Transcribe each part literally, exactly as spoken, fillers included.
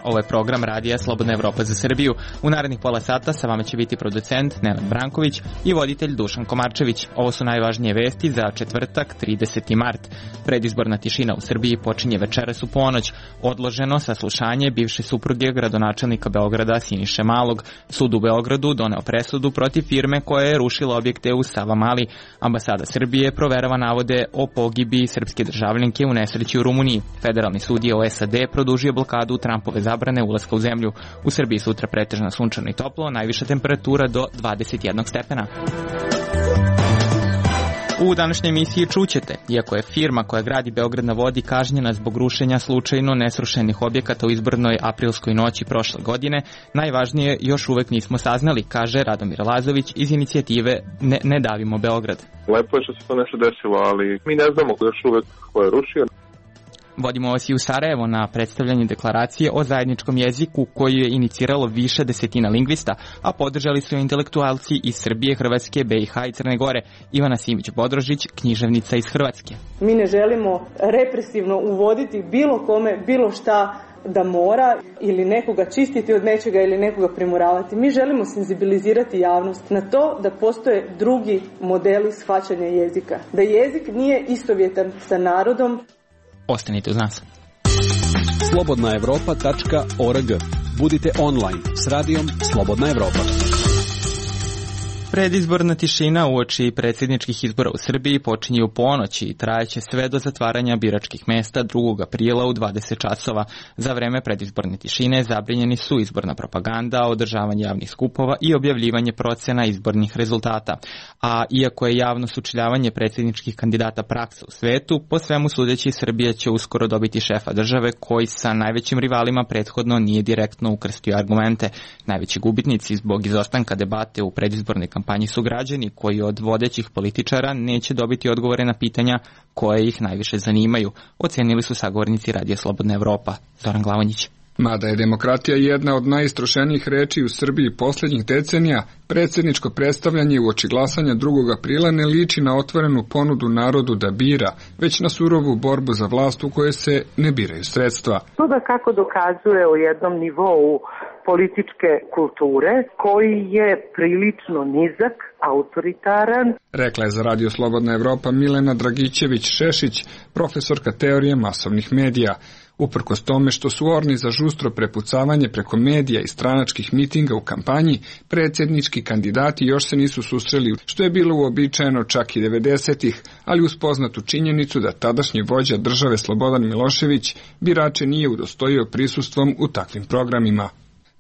ovo je program Radija Slobodna Evropa za Srbiju. U narednih pola sata sa vama će biti producent Nenad Branković i voditelj Dušan Komarčević. Ovo su najvažnije vesti za četvrtak, trideseti mart. Predizborna tišina u Srbiji počinje večeras u ponoć. Odloženo saslušanje bivše supruge gradonačelnika Beograda Siniše Malog. Sud u Beogradu doneo presudu protiv firme koja je rušila objekte u Savamali. Ambasada Srbije proverava navode o pogibi srpske državljanke u nesreći u Rumuniji. Federalni sud je u S A D produžio blokadu Trumpove zabrane ulaska u zemlju. U Srbiji sutra pretežno sunčano i toplo, najviša temperatura do dvadeset jedan stepena. U današnjoj emisiji čućete, iako je firma koja gradi Beograd na vodi kažnjena zbog rušenja slučajno nesrušenih objekata u izbornoj aprilskoj noći prošle godine, najvažnije još uvek nismo saznali, kaže Radomir Lazović iz inicijative Ne, ne davimo Beograd. Lepo je što se to nešto desilo, ali mi ne znamo još uvek ko je rušio. Vodimo vas i u Sarajevo na predstavljanje deklaracije o zajedničkom jeziku koju je iniciralo više desetina lingvista, a podržali su intelektualci iz Srbije, Hrvatske, B i H i Crne Gore. Ivana Simić-Bodrožić, književnica iz Hrvatske. Mi ne želimo represivno uvoditi bilo kome, bilo šta da mora ili nekoga čistiti od nečega ili nekoga primuravati. Mi želimo senzibilizirati javnost na to da postoje drugi modeli shvaćanja jezika. Da jezik nije istovjetan sa narodom. Ostanite uz nas. slobodna evropa tačka org. Budite online s radijom Slobodna Evropa. Predizborna tišina uoči predsjedničkih izbora u Srbiji počinje u ponoći i trajeće sve do zatvaranja biračkih mesta drugog aprila u dvadeset časova. Za vreme predizborne tišine zabranjeni su izborna propaganda, održavanje javnih skupova i objavljivanje procena izbornih rezultata. A iako je javno sučeljavanje predsjedničkih kandidata praksa u svetu, po svemu sudeći Srbija će uskoro dobiti šefa države koji sa najvećim rivalima prethodno nije direktno ukrstio argumente. Najveći gubitnici zbog izostanka debate u predizbornoj kampanji kampanji su građani koji od vodećih političara neće dobiti odgovore na pitanja koje ih najviše zanimaju, ocenili su sagovornici Radija Slobodna Evropa. Zoran Glavonjić. Mada je demokratija jedna od najistrošenijih reči u Srbiji posljednjih decenija, predsjedničko predstavljanje uoči glasanja drugog aprila ne liči na otvorenu ponudu narodu da bira, već na surovu borbu za vlast u kojoj se ne biraju sredstva. To da kako dokazuje o jednom nivou političke kulture koji je prilično nizak, autoritaran. Rekla je za Radio Slobodna Evropa Milena Dragićević-Šešić, profesorka teorije masovnih medija. Uprkos tome što su orni za žustro prepucavanje preko medija i stranačkih mitinga u kampanji, predsjednički kandidati još se nisu susreli, što je bilo uobičajeno čak i devedesetih, ali uz poznatu činjenicu da tadašnji vođa države Slobodan Milošević birače nije udostojio prisustvom u takvim programima.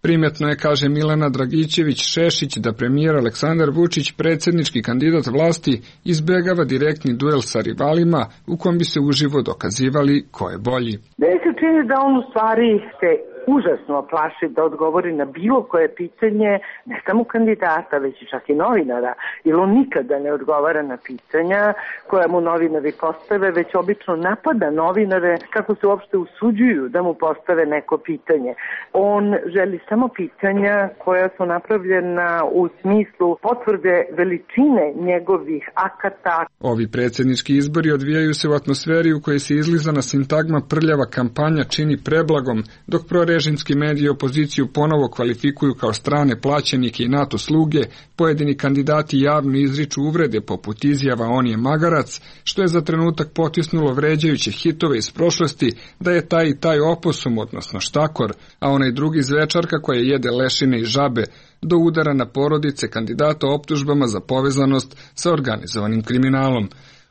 Primetno je, kaže Milena Dragićević-Šešić, da premijer Aleksandar Vučić, predsjednički kandidat vlasti, izbegava direktni duel sa rivalima u kom bi se uživo dokazivali ko je bolji. Meni se čini da on u stvari se užasno plaši da odgovori na bilo koje pitanje, ne samo kandidata, već i čak i novinara, jer on nikada ne odgovara na pitanja koja mu novinari postave, već obično napada novinare kako se uopšte usuđuju da mu postave neko pitanje. On želi samo pitanja koja su napravljena u smislu potvrde veličine njegovih akata. Ovi predsjednički izbori odvijaju se u atmosferi u kojoj se izlizana sintagma prljava kampanja čini preblagom, dok prore režimski mediji opoziciju ponovo kvalifikuju kao strane plaćenike i NATO sluge, pojedini kandidati javno izriču uvrede poput izjava on je magarac, što je za trenutak potisnulo vređajuće hitove iz prošlosti da je taj i taj oposum, odnosno štakor, a onaj drugi zvečarka koja jede lešine i žabe, do udara na porodice kandidata optužbama za povezanost sa organizovanim kriminalom.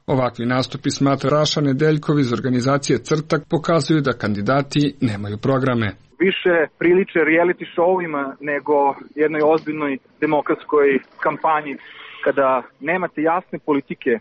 Ovakvi nastupi, smatra Raša Nedeljkov iz organizacije Crtak, pokazuju da kandidati nemaju programe. Više priliče reality showima nego jednoj ozbiljnoj demokratskoj kampanji. Kada nemate jasne politike,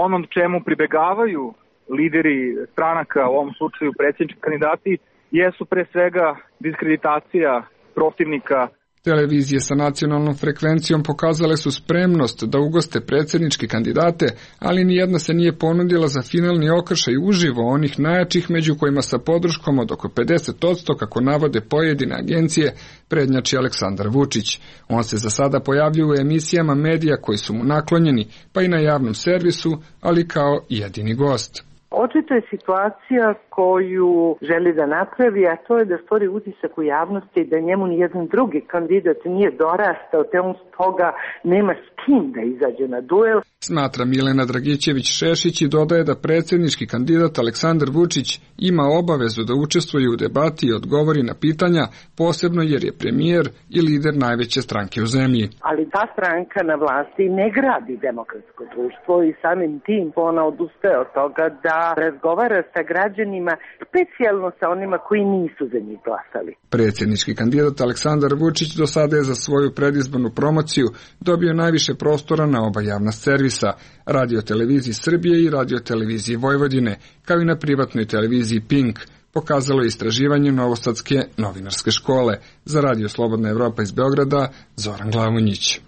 ono čemu pribegavaju lideri stranaka, u ovom slučaju predsjednički kandidati, jesu pre svega diskreditacija protivnika. Televizije sa nacionalnom frekvencijom pokazale su spremnost da ugoste predsjedničke kandidate, ali nijedna se nije ponudila za finalni okršaj uživo onih najjačih, među kojima sa podrškom od oko pedeset posto, kako navode pojedine agencije, prednjači Aleksandar Vučić. On se za sada pojavljuje u emisijama medija koji su mu naklonjeni, pa i na javnom servisu, ali kao jedini gost. Očito je situacija koju želi da napravi, a to je da stvori utisak u javnosti da njemu nijedan drugi kandidat nije dorastao, te on stoga nema s kim da izađe na duel. Smatra Milena Dragićević-Šešić i dodaje da predsjednički kandidat Aleksandar Vučić ima obavezu da učestvuje u debati i odgovori na pitanja, posebno jer je premijer i lider najveće stranke u zemlji. Ali ta stranka na vlasti ne gradi demokratsko društvo i samim tim ona odustaje od toga da razgovara sa građanima, specijalno sa onima koji nisu za njih glasali. Predsjednički kandidat Aleksandar Vučić do sada je za svoju predizbornu promociju dobio najviše prostora na oba javna servisa, Radio-televiziji Srbije i Radio-televiziji Vojvodine, kao i na privatnoj televiziji Pink, pokazalo je istraživanje Novosadske novinarske škole. Za Radio Slobodna Evropa iz Beograda, Zoran Glavonjić.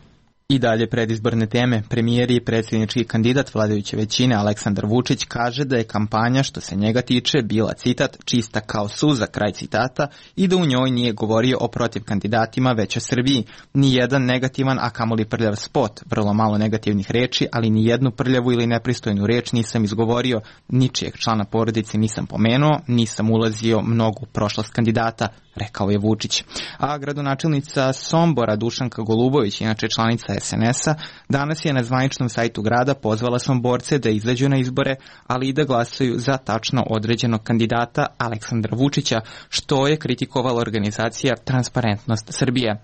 I dalje predizborne teme. Premijer i predsjednički kandidat vladajuće većine Aleksandar Vučić kaže da je kampanja što se njega tiče bila, citat, čista kao suza, kraj citata, i da u njoj nije govorio o protiv kandidatima već o Srbiji. Nijedan negativan, a kamoli prljav spot, vrlo malo negativnih reči, ali ni jednu prljavu ili nepristojnu reč nisam izgovorio, ničijeg člana porodice nisam pomenuo, nisam ulazio mnogo u prošlost kandidata, rekao je Vučić. A gradonačelnica Sombora Dušanka Golubović, inače članica es en es a, danas je na zvaničnom sajtu grada pozvala Somborce da izađu na izbore, ali i da glasaju za tačno određenog kandidata Aleksandra Vučića, što je kritikovala organizacija Transparentnost Srbije.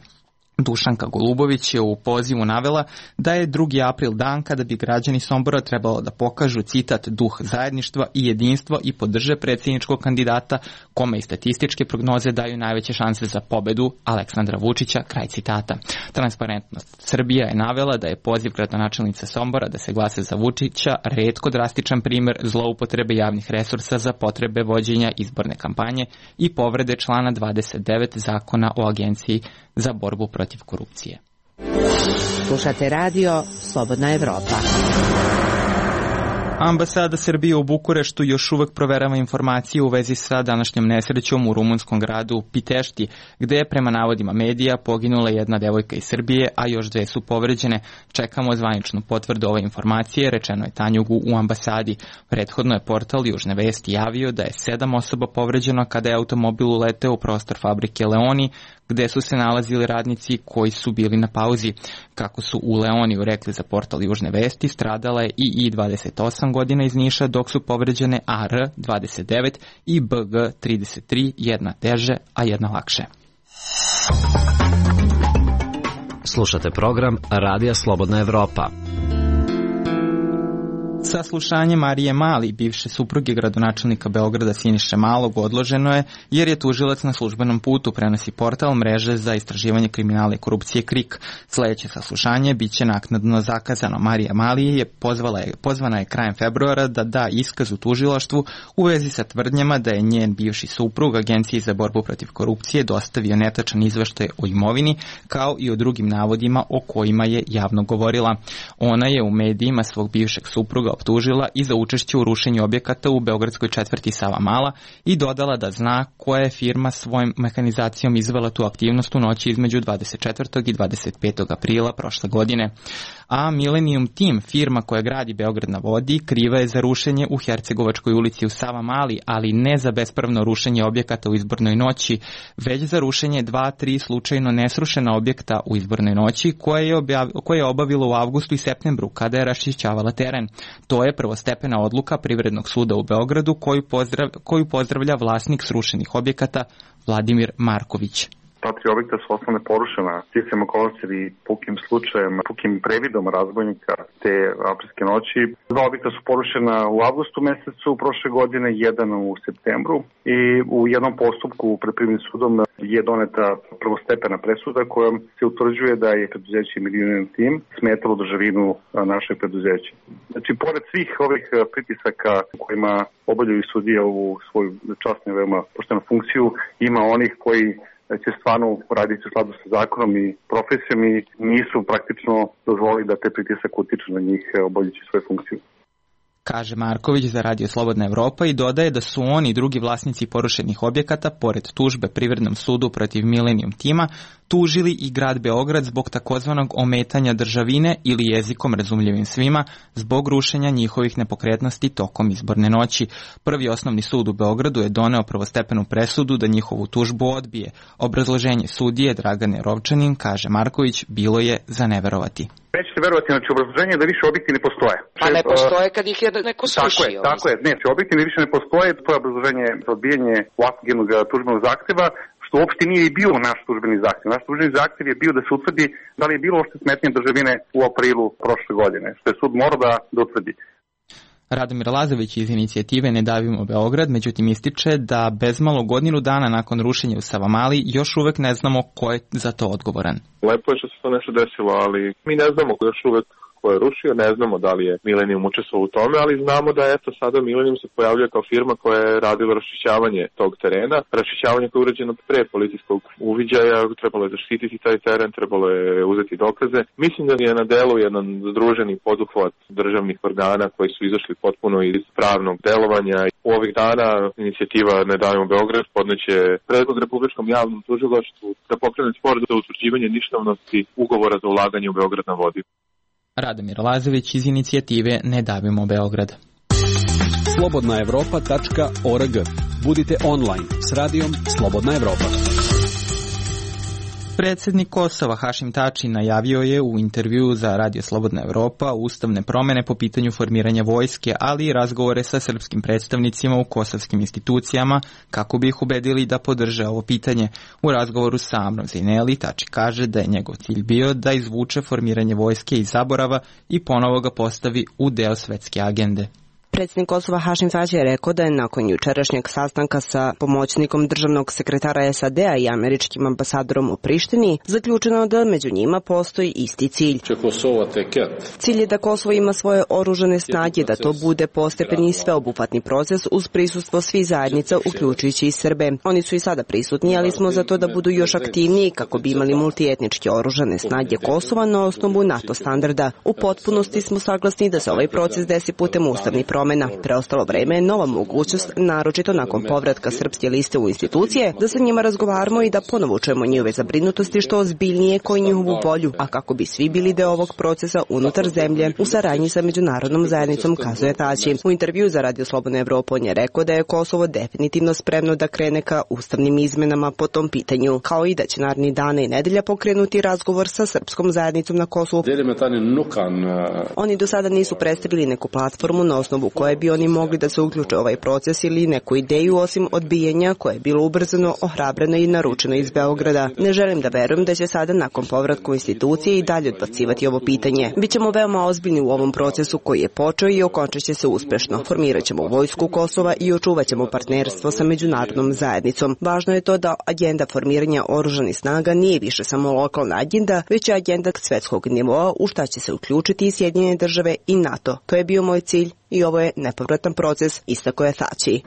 Dušanka Golubović je u pozivu navela da je drugi april dan kada bi građani Sombora trebalo da pokažu, citat, duh zajedništva i jedinstva i podrže predsjedničkog kandidata kome i statističke prognoze daju najveće šanse za pobedu, Aleksandra Vučića, kraj citata. Transparentnost Srbija je navela da je poziv gradonačelnice Sombora da se glase za Vučića retko drastičan primer zloupotrebe javnih resursa za potrebe vođenja izborne kampanje i povrede člana dvadeset devet Zakona o agenciji za borbu protiv korupcije. Slušate radio Slobodna Evropa. Ambasada Srbije u Bukureštu još uvek proverava informacije u vezi sa današnjom nesrećom u rumunskom gradu Pitešti, gde je prema navodima medija poginula jedna devojka iz Srbije, a još dve su povređene. Čekamo zvaničnu potvrdu ove informacije, rečeno je Tanjugu u ambasadi. Prethodno je portal Južne vesti javio da je sedam osoba povređeno kada je automobil uleteo u prostor fabrike Leoni, gde su se nalazili radnici koji su bili na pauzi. Kako su u Leoniju rekli za portal Južne vesti, stradala je i I dvadeset osam godina iz Niša, dok su povređene A R dvadeset devet i B G trideset tri, jedna teže, a jedna lakše. Slušate program Radija Slobodna Evropa. Saslušanje Marije Mali, bivše supruge gradonačelnika Beograda Siniše Malog, odloženo je jer je tužilac na službenom putu, prenosi portal mreže za istraživanje kriminala i korupcije KRIK. Sljedeće saslušanje biće naknadno zakazano. Marija Mali je pozvala je, pozvana je krajem februara da da iskaz u tužilaštvu u vezi sa tvrdnjama da je njen bivši suprug Agenciji za borbu protiv korupcije dostavio netačan izveštaj o imovini, kao i o drugim navodima o kojima je javno govorila. Ona je u medijima svog bivšeg supruga optužila i za učešće u rušenju objekata u beogradskoj četvrti Savamala i dodala da zna koja je firma svojom mehanizacijom izvela tu aktivnost u noći između dvadeset četvrtog i dvadeset petog aprila prošle godine. A Millennium Team, firma koja gradi Beograd na vodi, kriva je za rušenje u Hercegovačkoj ulici u Savamali, ali ne za bespravno rušenje objekata u izbornoj noći, već za rušenje dva, tri slučajno nesrušena objekta u izbornoj noći koje je, objav, koje je obavilo u avgustu i septembru kada je raščišćavala teren. To je prvostepena odluka Privrednog suda u Beogradu koju, pozdrav, koju pozdravlja vlasnik srušenih objekata Vladimir Marković. Ta tri objekta su osnovne porušena sticajem okolnosti i pukim slučajem, pukim previdom razbojnika te aprilske noći. Dva objekta su porušena u avgustu mesecu prošle godine, jedan u septembru i u jednom postupku pred Privrednim sudom je doneta prvostepena presuda kojom se utvrđuje da je preduzeće Millennium Team smetalo državinu našeg preduzeća. Znači, pored svih ovih pritisaka kojima obavljaju sudije u svoju časnu i veoma poštenu funkciju, ima onih koji će stvarno raditi u skladu sa zakonom i profesijom i nisu praktično dozvolili da te pritisak utiču na njih obavljajući svoju funkciju. Kaže Marković za Radio Slobodna Evropa i dodaje da su oni i drugi vlasnici porušenih objekata, pored tužbe Privrednom sudu protiv Millennium Teama, tužili i grad Beograd zbog takozvanog ometanja državine ili jezikom razumljivim svima zbog rušenja njihovih nepokretnosti tokom izborne noći. Prvi osnovni sud u Beogradu je doneo prvostepenu presudu da njihovu tužbu odbije. Obrazloženje sudije Dragane Rovčanin, kaže Marković, bilo je za neverovati. Nećete verovati, znači obrazloženje je da više objekti ne postoje. Pa ne postoje kad ih je neko srušio. Tako je, tako je. Ne, objekti više ne postoje, to je obrazloženje za odbijanje ovakvog jednog tužbenog zahteva, što uopšte nije i bio naš tužbeni zahtev. Naš tužbeni zahtev je bio da se utvrdi da li je bilo uopšte smetnje državine u aprilu prošle godine, što je sud morao da, da utvrdi. Radomir Lazović iz inicijative Ne davimo Beograd, međutim ističe da bezmalo godinu dana nakon rušenja u Savamali još uvek ne znamo ko je za to odgovoran. Lepo je što se to nešto desilo, ali mi ne znamo još uvek ko je rušio, ne znamo da li je Millennium učestvovao u tome, ali znamo da eto sada Millennium se pojavljuje kao firma koja je radila raščišćavanje tog terena, raščišćavanje koje je urađeno pre policijskog uviđaja, trebalo je zaštititi taj teren, trebalo je uzeti dokaze. Mislim da je na delu jedan združeni poduhvat državnih organa koji su izašli potpuno iz pravnog delovanja. U ovih dana inicijativa Ne davimo Beograd podneće predlog Republičkom javnom tužilaštvu da pokrene spor za utvrđivanje ništavnosti ugovora za ulaganje u Beograd na vodi. Radomir Lazović iz inicijative Ne davimo Beograd. slobodna evropa tačka org. Budite online s radijom Slobodna Evropa. Predsjednik Kosova Hašim Tači najavio je u intervjuu za Radio Slobodna Evropa ustavne promjene po pitanju formiranja vojske, ali i razgovore sa srpskim predstavnicima u kosovskim institucijama kako bi ih ubedili da podrže ovo pitanje. U razgovoru sa Amrom Zineli Tači kaže da je njegov cilj bio da izvuče formiranje vojske iz zaborava i ponovo ga postavi u deo svetske agende. Predsjednik Kosova Hašim Tači je rekao da je nakon jučerašnjeg sastanka sa pomoćnikom državnog sekretara S A D-a i američkim ambasadorom u Prištini zaključeno da među njima postoji isti cilj. Cilj je da Kosovo ima svoje oružane snage, da to bude postepeni i sveobuhvatni proces uz prisustvo svih zajednica, uključujući i Srbe. Oni su i sada prisutni, ali smo za to da budu još aktivniji kako bi imali multietničke oružane snage Kosova na osnovu NATO standarda. U potpunosti smo saglasni da se ovaj proces desi putem ustavnih promjena. Preostalo vreme je nova mogućnost, naročito nakon povratka srpske liste u institucije, da sa njima razgovaramo i da ponovo čujemo njihove zabrinutosti što ozbiljnije koji njihovu volju, a kako bi svi bili deo ovog procesa unutar zemlje u saradnji sa međunarodnom zajednicom, kazuje Tači. U intervju za Radio Slobodna Evropa on je rekao da je Kosovo definitivno spremno da krene ka ustavnim izmenama po tom pitanju, kao i da će narednih dana i nedelja pokrenuti razgovor sa srpskom zajednicom na Kosovu. Oni do sada nisu predstavili neku platformu na osnovu koje bi oni mogli da se uključe u ovaj proces ili neku ideju osim odbijanja koje je bilo ubrzano, ohrabreno i naručeno iz Beograda. Ne želim da verujem da će sada nakon povratka u institucije i dalje odbacivati ovo pitanje. Bićemo veoma ozbiljni u ovom procesu koji je počeo i okončat će se uspešno. Formirat ćemo vojsku Kosova i očuvat ćemo partnerstvo sa međunarodnom zajednicom. Važno je to da agenda formiranja oružanih snaga nije više samo lokalna agenda, već je agenda svetskog nivoa u šta će se uključiti i Sjedinjene države i NATO. To je bio moj cilj i ovo je nepovratan proces, istako je Tači.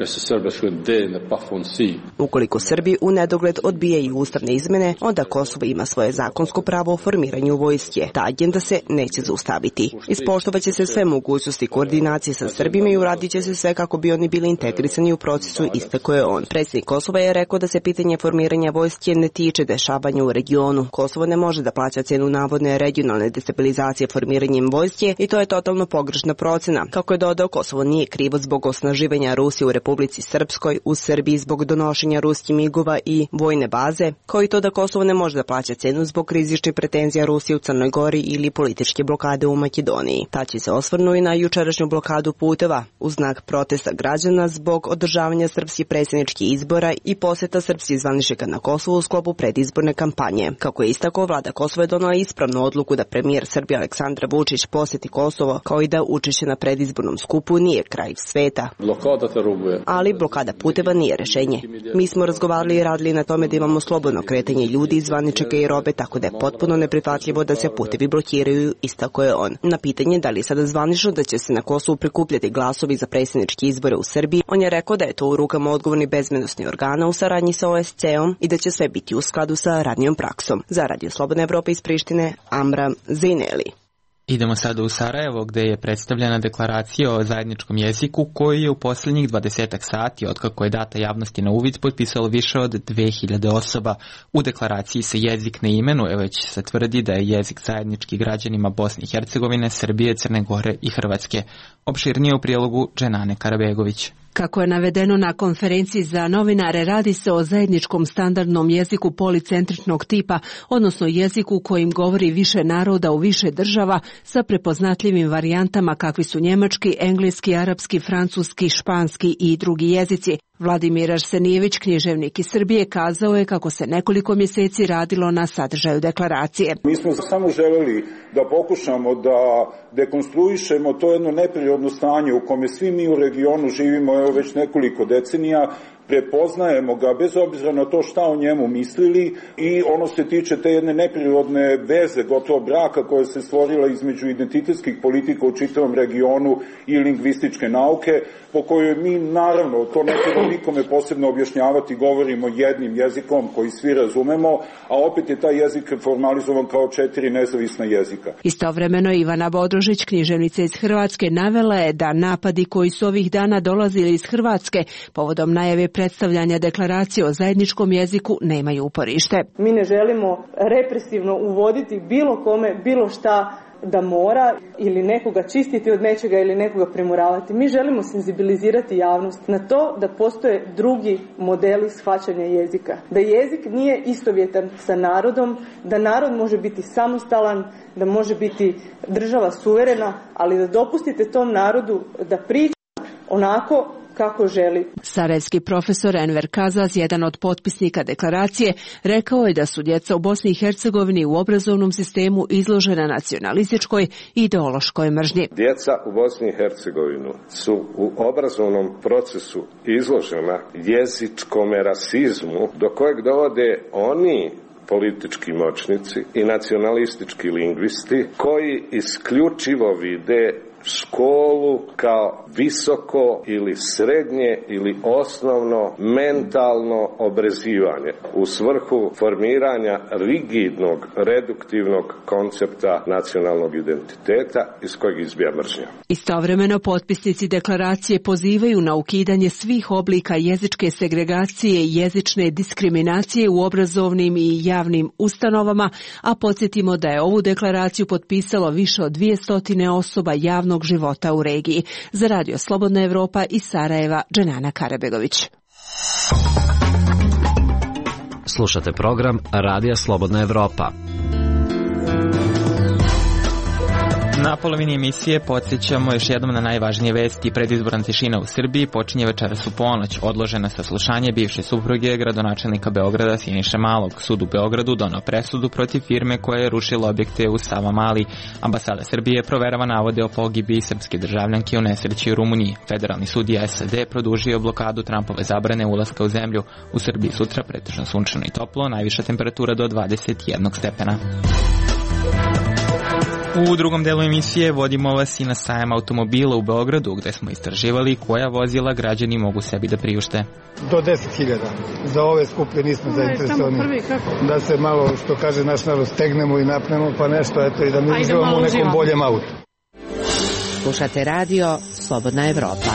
Ukoliko Srbi u nedogled odbijaju ustavne izmene, onda Kosovo ima svoje zakonsko pravo o formiranju vojske. Ta agenda se neće zaustaviti. Ispoštovaće se sve mogućnosti koordinacije sa Srbima i uradit će se sve kako bi oni bili integrisani u procesu, istako je on. Predsjednik Kosova je rekao da se pitanje formiranja vojske ne tiče dešavanja u regionu. Kosovo ne može da plaća cenu navodne regionalne destabilizacije formiranjem vojske i to je totalno pogrešna procena. Kako je dodao, Kosovo nije krivo zbog osnaživanja Rusije u Republici Srpskoj, u Srbiji zbog donošenja ruskih migova i vojne baze, kao i to da Kosovo ne može da plaća cenu zbog rizičnih pretenzija Rusije u Crnoj Gori ili političke blokade u Makedoniji. Tači se osvrnuo i na jučerašnju blokadu puteva u znak protesta građana zbog održavanja srpskih predsjedničkih izbora i poseta srpskih zvaničnika na Kosovu u sklopu predizborne kampanje. Kako je istakao, vlada Kosova je donela ispravnu odluku da premijer Srbije Aleksandar Vučić poseti Kosovo, kao i da učešće na predizbornom skupu nije kraj sveta. Ali blokada puteva nije rešenje. Mi smo razgovarali i radili na tome da imamo slobodno kretanje ljudi, zvaničnika i robe, tako da je potpuno neprihvatljivo da se putevi blokiraju, istako je on. Na pitanje da li je sada zvanično da će se na Kosovu prikupljati glasovi za predsjedničke izbore u Srbiji, on je rekao da je to u rukama odgovornih bezbednosnih organa u saradnji sa O S C-om i da će sve biti u skladu sa radnjom praksom. Za Radio Slobodna Evropa iz Prištine, Amram Zineli. Idemo sada u Sarajevo gde je predstavljena deklaracija o zajedničkom jeziku koju je u posljednjih dvadesetak sati otkako je data javnosti na uvid potpisalo više od dve hiljade osoba. U deklaraciji se jezik ne imenuje, već se tvrdi da je jezik zajednički građanima Bosne i Hercegovine, Srbije, Crne Gore i Hrvatske. Opširnije u prijelogu Dženane Karabegović. Kako je navedeno na konferenciji za novinare, radi se o zajedničkom standardnom jeziku policentričnog tipa, odnosno jeziku kojim govori više naroda u više država sa prepoznatljivim varijantama kakvi su njemački, engleski, arapski, francuski, španski i drugi jezici. Vladimir Arsenijević, književnik iz Srbije, kazao je kako se nekoliko mjeseci radilo na sadržaju deklaracije. Mi smo samo želeli da pokušamo da dekonstruišemo to jedno neprirodno stanje u kome svi mi u regionu živimo evo već nekoliko decenija, prepoznajemo ga bez obzira na to šta o njemu mislili i ono se tiče te jedne neprirodne veze, gotovo braka koja se stvorila između identitetskih politika u čitavom regionu i lingvističke nauke, po kojoj mi naravno, to ne treba nikome posebno objašnjavati, govorimo jednim jezikom koji svi razumemo, a opet je taj jezik formalizovan kao četiri nezavisna jezika. Istovremeno Ivana Bodrožić, književnica iz Hrvatske, navela je da napadi koji su ovih dana dolazili iz Hrvatske povodom najave predstavljanja deklaracije o zajedničkom jeziku nemaju uporište. Mi ne želimo represivno uvoditi bilo kome, bilo šta da mora ili nekoga čistiti od nečega ili nekoga primuravati. Mi želimo senzibilizirati javnost na to da postoje drugi modeli shvaćanja jezika. Da jezik nije istovjetan sa narodom, da narod može biti samostalan, da može biti država suverena, ali da dopustite tom narodu da priča onako kako želi. Sarajevski profesor Enver Kazaz, jedan od potpisnika deklaracije, rekao je da su djeca u Bosni i Hercegovini u obrazovnom sistemu izložena nacionalističkoj i ideološkoj mržnji. Djeca u Bosni i Hercegovini su u obrazovnom procesu izložena jezičkom rasizmu do kojeg dovode oni politički moćnici i nacionalistički lingvisti koji isključivo vide školu kao visoko ili srednje ili osnovno mentalno obrazivanje u svrhu formiranja rigidnog, reduktivnog koncepta nacionalnog identiteta iz kojeg izbija mržnja. Istovremeno potpisnici deklaracije pozivaju na ukidanje svih oblika jezičke segregacije i jezične diskriminacije u obrazovnim i javnim ustanovama, a podsjetimo da je ovu deklaraciju potpisalo više od dvjesto osoba javno života u regiji. Za Radio Slobodna Evropa iz Sarajeva, Dženana Karabegović. Slušate program Radija Slobodna Evropa. Na polovini emisije podsjećamo još jednom na najvažnije vesti. Predizborna tišina u Srbiji počinje večeras u ponoć. Odložena saslušanje bivše supruge gradonačelnika Beograda Siniše Malog. Sud u Beogradu donao presudu protiv firme koja je rušila objekte u Savamali. Ambasada Srbije proverava navode o pogibi srpske državljanke u nesreći u Rumuniji. Federalni sudija S A D produžio blokadu Trumpove zabrane ulaska u zemlju. U Srbiji sutra pretežno sunčano i toplo, najviša temperatura do dvadeset jedan stepena. U drugom delu emisije vodimo vas i na sajam automobila u Beogradu, gde smo istraživali koja vozila građani mogu sebi da priušte. Do deset hiljada. Za ove skuplje nismo zainteresovani. Da se malo, što kaže naš narod, stegnemo i napnemo, pa nešto, eto, i da mi uživamo u nekom boljem autu. Slušate radio Slobodna Evropa.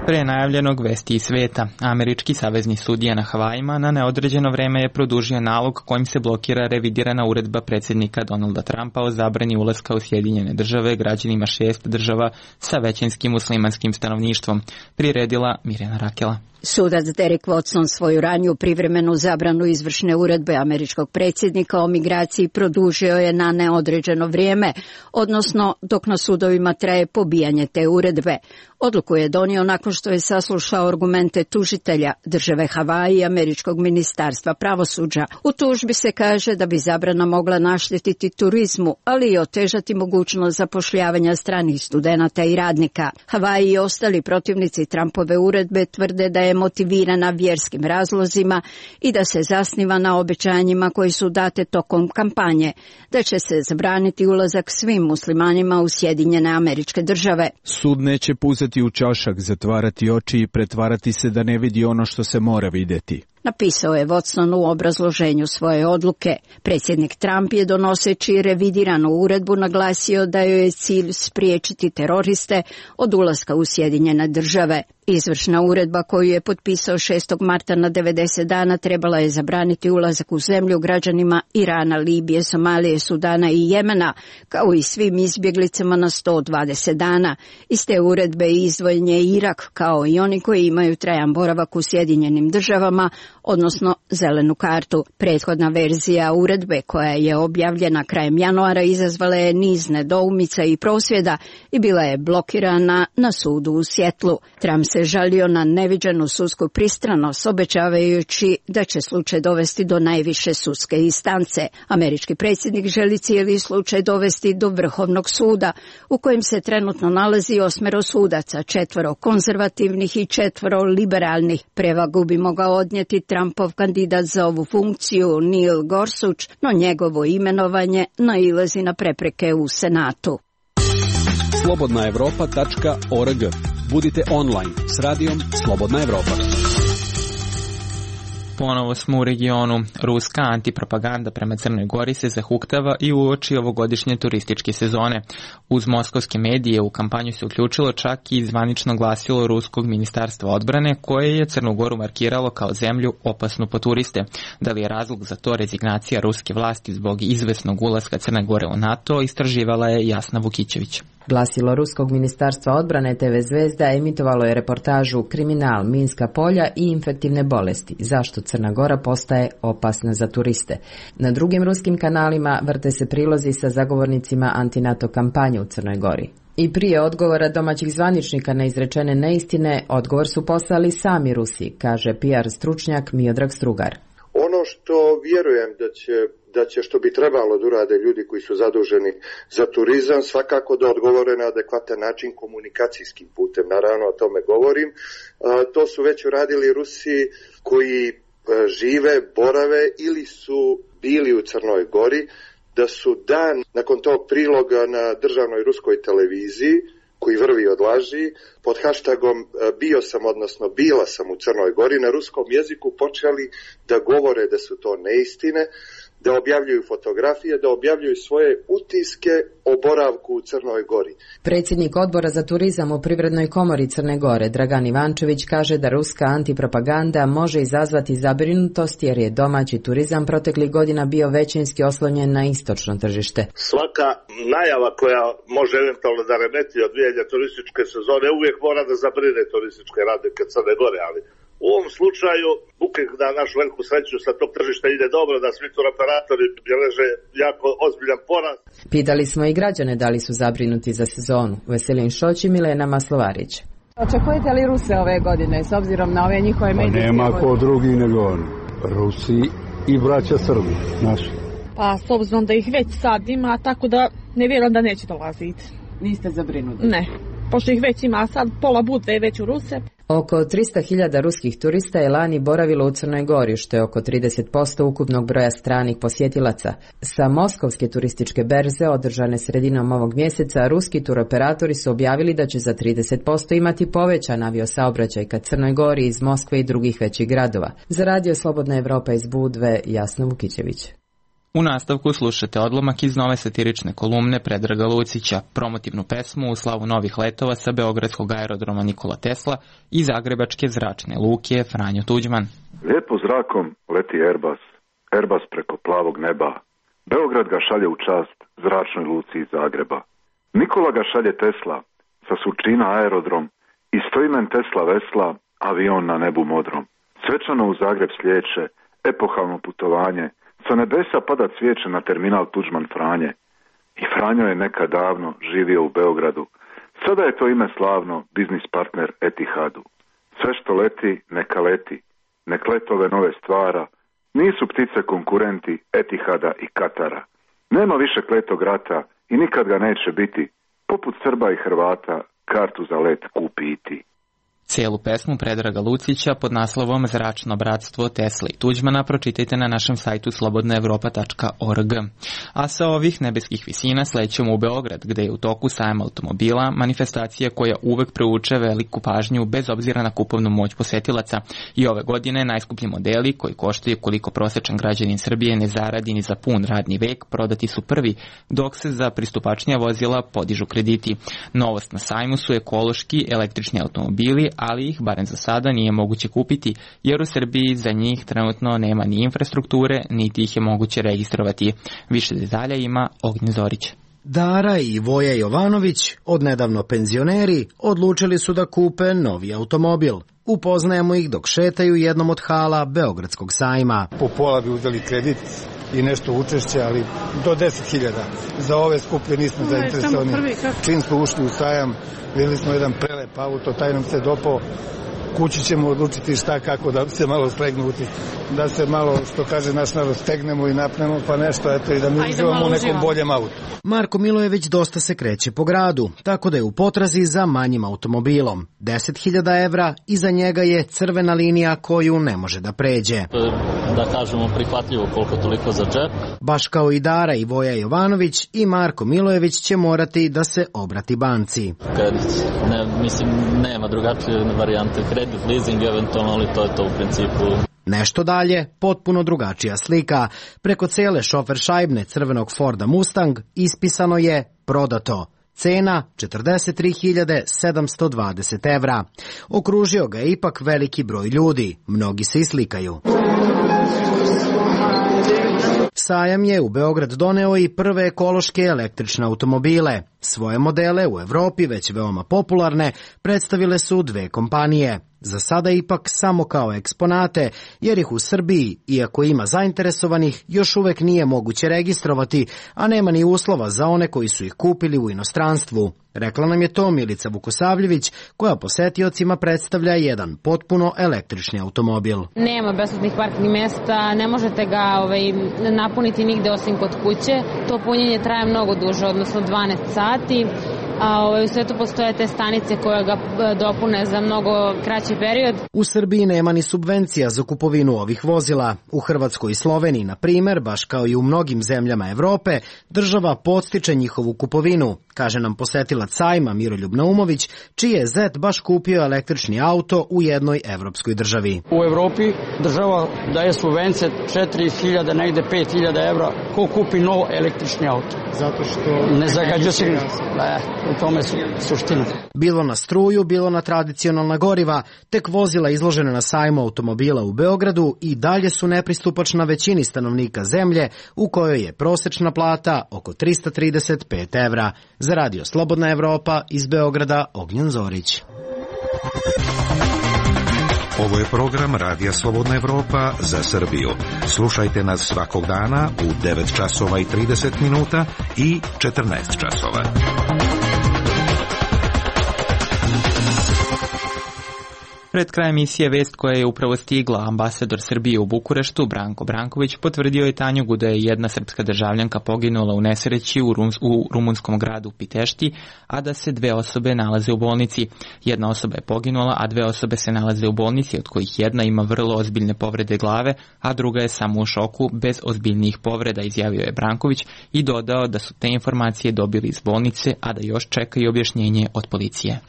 Pre najavljenog vesti iz sveta, američki savezni sudija na Havajima na neodređeno vreme je produžio nalog kojim se blokira revidirana uredba predsjednika Donalda Trumpa o zabrani ulaska u Sjedinjene države građanima šest država sa većinskim muslimanskim stanovništvom, priredila Mirjana Rakela. Sudac Derek Watson svoju raniju privremenu zabranu izvršne uredbe američkog predsjednika o migraciji produžio je na neodređeno vrijeme, odnosno dok na sudovima traje pobijanje te uredbe. Odluku je donio nakon što je saslušao argumente tužitelja države Havaji i američkog ministarstva pravosuđa. U tužbi se kaže da bi zabrana mogla naštetiti turizmu, ali i otežati mogućnost zapošljavanja stranih studenata i radnika. Havaji i ostali protivnici Trumpove uredbe tvrde da je motivirana vjerskim razlozima i da se zasniva na obećanjima koji su date tokom kampanje, da će se zabraniti ulazak svim muslimanima u Sjedinjene Američke Države. Sud neće puzati u čašak, zatvarati oči i pretvarati se da ne vidi ono što se mora vidjeti. napisao je Watson u obrazloženju svoje odluke. Predsjednik Trump je donoseći revidiranu uredbu naglasio da joj je cilj spriječiti teroriste od ulaska u Sjedinjene države. Izvršna uredba koju je potpisao šestog marta na devedeset dana trebala je zabraniti ulazak u zemlju građanima Irana, Libije, Somalije, Sudana i Jemena, kao i svim izbjeglicama na sto dvadeset dana. Iz te uredbe izdvojen je Irak, kao i oni koji imaju trajan boravak u Sjedinjenim državama, odnosno zelenu kartu. Prethodna verzija uredbe, koja je objavljena krajem januara, izazvala je niz nedoumica i prosvjeda i bila je blokirana na sudu u Sjetlu. Trump se žalio na neviđenu sudsku pristranost, obećavajući da će slučaj dovesti do najviše sudske instance. Američki predsjednik želi cijeli slučaj dovesti do Vrhovnog suda, u kojem se trenutno nalazi osmero sudaca, četvoro konzervativnih i četvoro liberalnih. Prevagu bi mogao odnijeti Trumpov kandidat za ovu funkciju Neil Gorsuch, no njegovo imenovanje nailazi na prepreke u Senatu. slobodna evropa tačka org. Budite online s radijom Slobodna Evropa. Ponovo smo u regionu. Ruska antipropaganda prema Crnoj Gori se zahuktava i uoči ovogodišnje turističke sezone. Uz moskovske medije u kampanju se uključilo čak i zvanično glasilo Ruskog ministarstva odbrane, koje je Crnu Goru markiralo kao zemlju opasnu po turiste. Da li je razlog za to rezignacija ruske vlasti zbog izvesnog ulaska Crne Gore u NATO, istraživala je Jasna Vukićević. Glasilo Ruskog ministarstva odbrane te ve Zvezda emitovalo je reportažu Kriminal, minska polja i infektivne bolesti. Zašto Crna Gora postaje opasna za turiste? Na drugim ruskim kanalima vrte se prilozi sa zagovornicima antinato kampanje u Crnoj Gori. I prije odgovora domaćih zvaničnika na izrečene neistine, odgovor su poslali sami Rusi, kaže P R stručnjak Miodrag Strugar. Ono što vjerujem da će da će što bi trebalo da urade ljudi koji su zaduženi za turizam, svakako da odgovore na adekvatan način komunikacijskim putem. Naravno, o tome govorim. To su već uradili Rusi koji žive, borave ili su bili u Crnoj Gori, da su dan nakon tog priloga na državnoj ruskoj televiziji, koji vrvi od laži, pod hashtagom bio sam, odnosno bila sam u Crnoj Gori, na ruskom jeziku počeli da govore da su to neistine, da objavljuju fotografije, da objavljuju svoje utiske o boravku u Crnoj Gori. Predsjednik odbora za turizam u Privrednoj komori Crne Gore, Dragan Ivančević, kaže da ruska antipropaganda može izazvati zabrinutost jer je domaći turizam proteklih godina bio većinski oslonjen na istočno tržište. Svaka najava koja može eventualno da remeti odvijanja turističke sezone uvijek mora da zabrine turističke radnike Crne Gore, ali u ovom slučaju, bukek da našu veliku sreću sa tog tržišta ide dobro, da svi turoperatori beleže jako ozbiljan porast. Pitali smo i građane da li su zabrinuti za sezonu. Veselin Šoć i Milena Maslovarić. Očekujete li Ruse ove godine s obzirom na ove njihove medijske? Pa nema ko drugi nego oni. Rusi i braća Srbi, naši. Pa s obzirom da ih već sad ima, tako da ne vjerujem da neće dolaziti. Niste zabrinuti? Ne, pošto ih već ima sad, pola bude već u Ruse. Oko tristo hiljada ruskih turista je lani boravilo u Crnoj Gori, što je oko trideset posto ukupnog broja stranih posjetilaca. Sa moskovske turističke berze, održane sredinom ovog mjeseca, ruski turoperatori su objavili da će za trideset posto imati povećan aviosaobraćaj ka Crnoj Gori iz Moskve i drugih većih gradova. Za Radio Slobodna Evropa iz Budve, Jasna Vukićević. U nastavku slušate odlomak iz nove satirične kolumne Predraga Lucića, promotivnu pesmu u slavu novih letova sa beogradskog aerodroma Nikola Tesla i zagrebačke zračne luke Franjo Tuđman. Lijepo zrakom leti Airbus, Airbus preko plavog neba. Beograd ga šalje u čast zračnoj luci iz Zagreba. Nikola ga šalje Tesla, sa Surčina aerodrom, i stoimen Tesla vesla, avion na nebu modrom. Svečano u Zagreb slijeće, epohalno putovanje. Sa nebesa pada cvijeće na terminal Tuđman Franje. I Franjo je nekad davno živio u Beogradu. Sada je to ime slavno, biznis partner Etihadu. Sve što leti, neka leti. Nek letove nove stvara. Nisu ptice konkurenti Etihada i Katara. Nema više kletog rata i nikad ga neće biti. Poput Srba i Hrvata kartu za let kupi i ti. Cijelu pesmu Predraga Lucića pod naslovom Zračno bratstvo Tesla i Tuđmana pročitajte na našem sajtu slobodna evropa tačka org. A sa ovih nebeskih visina slećemo u Beograd, gde je u toku sajam automobila, manifestacija koja uvek privuče veliku pažnju bez obzira na kupovnu moć posetilaca. I ove godine najskuplji modeli, koji koštaju koliko prosečan građanin Srbije ne zaradi ni za pun radni vek, prodati su prvi, dok se za pristupačnija vozila podižu krediti. Novost na sajmu su ekološki električni automobili, ali ih, barem za sada, nije moguće kupiti, jer u Srbiji za njih trenutno nema ni infrastrukture, niti ih je moguće registrovati. Više detalja ima Ognjen Zorić. Dara i Voja Jovanović, odnedavno penzioneri, odlučili su da kupe novi automobil. Upoznajemo ih dok šetaju jednom od hala Beogradskog sajma. Po pola bi uzeli kredit i nešto učešće, ali do deset hiljada. Za ove skuplje nismo zainteresovani. Čim smo ušli u sajam, vidjeli smo jedan prelep auto, taj nam se dopao. Kući ćemo odlučiti šta kako da se malo slegnuti, da se malo, što kaže naš narod, stegnemo i napnemo pa nešto, eto, i da mi uživamo u nekom boljem autu. Marko Milojević dosta se kreće po gradu, tako da je u potrazi za manjim automobilom. deset hiljada evra i za njega je crvena linija koju ne može da pređe. Da kažemo prihvatljivo koliko toliko za džep. Baš kao i Dara i Voja Jovanović, i Marko Milojević će morati da se obrati banci. Kredit, ne, mislim, nema drugačije varijante. Kredit, leasing, eventualno, ali to je to u principu. Nešto dalje, potpuno drugačija slika. Preko cele šofer šajbne crvenog Forda Mustang ispisano je prodato. Cena četrdeset tri hiljade sedamsto dvadeset evra. Okružio ga je ipak veliki broj ljudi. Mnogi se islikaju. Sajam je u Beograd doneo i prve ekološke električne automobile. Svoje modele u Evropi, već veoma popularne, predstavile su dve kompanije. Za sada ipak samo kao eksponate, jer ih u Srbiji, iako ima zainteresovanih, još uvek nije moguće registrovati, a nema ni uslova za one koji su ih kupili u inostranstvu. Rekla nam je to Milica Vukosavljević, koja posetiocima predstavlja jedan potpuno električni automobil. Nema besplatnih parking mesta, ne možete ga ovaj, napuniti nigde osim kod kuće. To punjenje traje mnogo duže, odnosno dvanaest sati. A ovaj, u svetu postoje te stanice koje ga dopune za mnogo kraći period. U Srbiji nema ni subvencija za kupovinu ovih vozila. U Hrvatskoj i Sloveniji, na primer, baš kao i u mnogim zemljama Evrope, država podstiče njihovu kupovinu, kaže nam posetilac sajma Miroljub Naumović, čiji je zet baš kupio električni auto u jednoj evropskoj državi. U Evropi država daje subvencije četiri hiljade, negde pet hiljada evra, ko kupi nov električni auto. Zato što ne zagađuje se. Ne, u tome su suština. Bilo na struju, bilo na tradicionalna goriva, tek vozila izložena na sajmu automobila u Beogradu i dalje su nepristupačna većini stanovnika zemlje, u kojoj je prosečna plata oko trista trideset pet evra. Za Radio Slobodna Evropa iz Beograda, Ognjen Zorić. Ovo je program Radija Slobodna Evropa za Srbiju. Slušajte nas svakog dana u devet časova i trideset minuta i četrnaest časova. Pred krajem emisije vest koja je upravo stigla. Ambasador Srbije u Bukureštu, Branko Branković, potvrdio je Tanjugu da je jedna srpska državljanka poginula u nesreći u, Rum, u rumunskom gradu Pitešti, a da se dve osobe nalaze u bolnici. Jedna osoba je poginula, a dve osobe se nalaze u bolnici, od kojih jedna ima vrlo ozbiljne povrede glave, a druga je samo u šoku bez ozbiljnijih povreda, izjavio je Branković i dodao da su te informacije dobili iz bolnice, a da još čekaju objašnjenje od policije.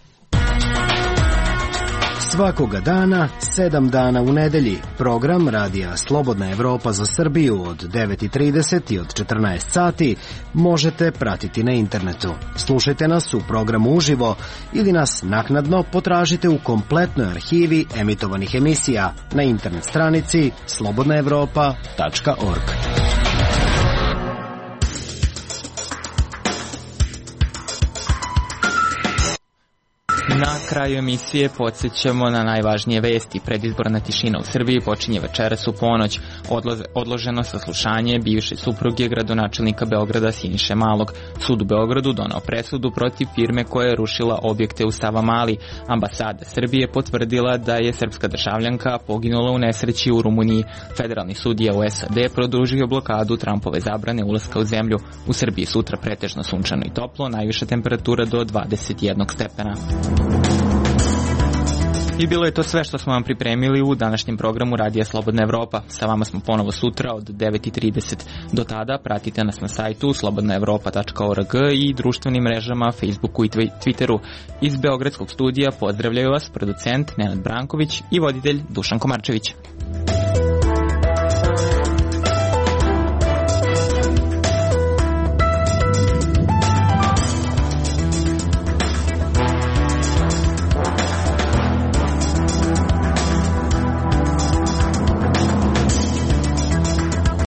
Svakoga dana, sedam dana u nedelji, program Radija Slobodna Evropa za Srbiju od devet i trideset i od četrnaest sati možete pratiti na internetu. Slušajte nas u programu uživo ili nas naknadno potražite u kompletnoj arhivi emitovanih emisija na internet stranici slobodna evropa tačka org. Na kraju emisije podsjećamo na najvažnije vesti. Predizborna tišina u Srbiji počinje večeras u ponoć. Odloženo saslušanje bivše supruge gradonačelnika Beograda Siniše Malog. Sud u Beogradu donao presudu protiv firme koja je rušila objekte u Savamali. Ambasada Srbije potvrdila da je srpska državljanka poginula u nesreći u Rumuniji. Federalni sudija u S A D produžio blokadu Trumpove zabrane ulaska u zemlju. U Srbiji sutra pretežno sunčano i toplo, najviša temperatura do dvadeset jedan stepena. I bilo je to sve što smo vam pripremili u današnjem programu Radija Slobodna Evropa. Sa vama smo ponovo sutra od devet i trideset. Do tada pratite nas na sajtu slobodna evropa tačka org i društvenim mrežama Facebooku i Twitteru. Iz Beogradskog studija pozdravljaju vas producent Nenad Branković i voditelj Dušan Komarčević.